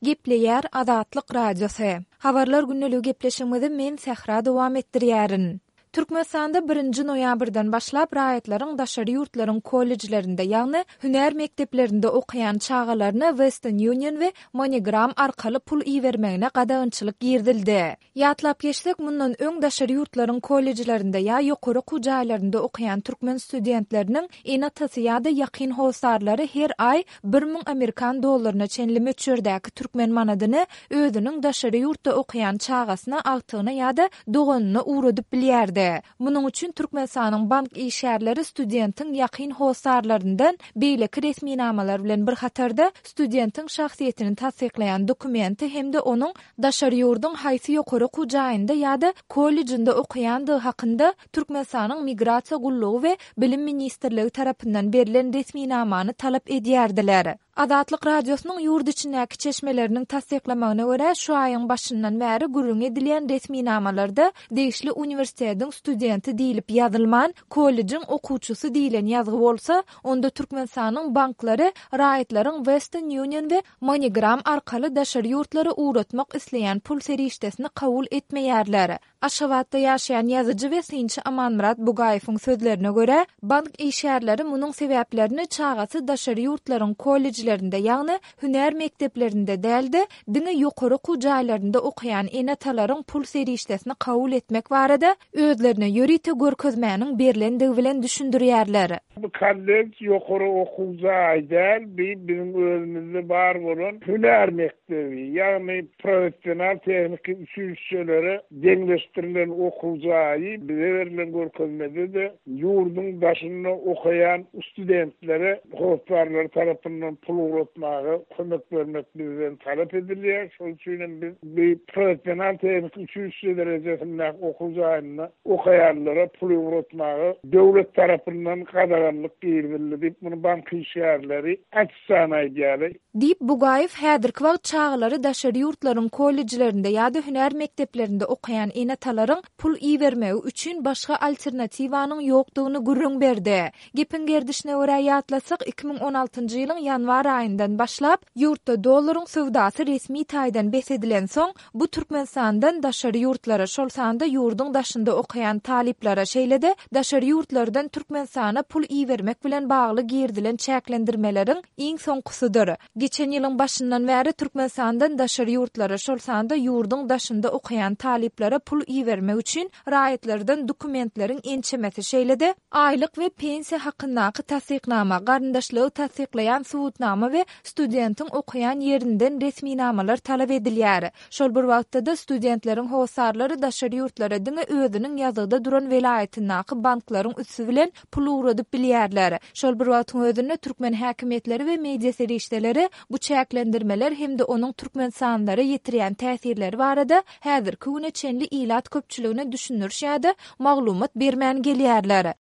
Gepleýär Azatlyk Radiosy. Habarlar gündeligi gepleşigimizi men Sähra dowam etdirýärin. Türkmenistanda birinji noýabrdan başlap raýatlaryň daşary ýurtlaryň kollejlerinde, ýagny hünär mekdeplerinde okaýan çagalaryna Western Union we MoneyGram arkaly pul ibermegine gadagançylyk girizildi. Ýatlap geçsek, mundan öň daşary ýurtlaryň kollejlerinde ýa ýokary okuw jaýlarynda okaýan türkmen studentleriniň ene-atasy ýa-da ýakyn hossarlary her aý 1000 amerikan dollaryna çenli möçberdäki türkmen manadyny özüniň daşary ýurtda okaýan çagasyna, agtygyna ýa-da doganyna ugradyp bilýärdi. Munuň üçin Türkmenistanyň bank işgärleri studentiň ýakyn hossarlaryndan beýleki resminamalar bilen bir hatarda studentiň şahsyýetini tassyklaýan dokumenti hem-de onuň daşary ýurduň haýsy ýokary okuw jaýynda ýa-da kollejinde okaýandygy hakynda Türkmenistanyň Migrasiýa gullugy we Bilim ministrligi tarapyndan berlen resminamany talap edýärdiler. Azatlyk Radiosynyň ýurt içindäki çeşmeleriniň tassyklamagyna görä, şu aýyň başyndan bäri gürrüňi edilýän resminamalarda degişli uniwersitetiň studenti diýlip ýazylman, kollejiň okuwçysy diýlen ýazgy bolsa, onda Türkmenistanyň banklary raýatlaryň Western Union we MoneyGram arkaly daşary ýurtlara ugratmak isleýän pul serişdesini kabul etmeýärler. Aşgabatda ýaşaýan ýazyjy we synçy Amanmyrat Bugaýewiň sözlerine görä, bank işgärleri munuň sebäplerini çagasy daşary ýurtlaryň kollejlerinde, ýagny hünär mekdeplerinde däl-de, diňe ýokary okuw jaýlarynda okaýan ene-atalaryň pul serişdesini kabul etmek barada özlerine ýörite görkezmäniň berlendigi bilen düşündirýärler. Bu kollej ýokary okuw jaýy däl, bi biziň özümizde bar bolan hünär mekdebi, ýagny professional tehniki uçilişşelere deňleşdirilen okuw jaýy. Bize berlen görkezmede-de ýurduň daşynda okaýan studentlere hossarlary tarapyndan pul ugratmaga kömek bermek bizden talap edilýär. Şol üçin hem biz bi professional tehniki uçilişşe derejesindäki okuw jaýynda okaýanlara pul ugratmaga döwlet tarapyndan gadaganlyk girizildi diýip, muny bank işgärleri açyk-açan aýdýarlar. Diýip, Bugaýew häzirki wagt çagalary daşary ýurtlaryň kollejlerinde ýa-da hünär mekdeplerinde okaýan ene-atalaryň pul ibermegi üçin başga alternatiwanyň ýokdugyny gürrüň berdi. Gepiň gerdişine görä ýatlasak, 2016-njy ýylyň ýanwar aýyndan başlap, ýurtda dollaryň söwdasy resmi taýdan bes edilensoň, Bu Türkmenistandan daşary ýurtlara, şol sanda ýurduň daşynda okaýan talyplara, şeýle-de daşary ýurtlardan Türkmenistana pul ibermek bilen bagly girizilen çäklendirmeleriň iň soňkusydyr. Geçen ýylyň başyndan bäri Türkmenistandan daşary ýurtlara, şol sanda ýurduň daşynda okaýan talyplara pul ibermek üçin raýatlardan dokumentleriň ençemesi, şeýle-de, aýlyk we pensiýa hakyndaky tassyknama, garyndaşlygy tassyklaýan subutnama we studentiň okaýan ýerinden resminamalar talap edilýär. Şol bir wagtda-da, studentleriň hossarlary daşary ýurtlara diňe özüniň ýazgyda duran welaýatyndaky banklaryň üsti bilen pul ugradyp bilýärler. Şol bir wagtyň özünde, türkmen häkimiýetleri we media serişdeleri bu çäklendirmeler hem-de onuň türkmenistanlylara ýetirýän täsirleri barada häzirki güne çenli ilat köpçüligine düşündiriş ýa-da maglumat bermän gelýärler.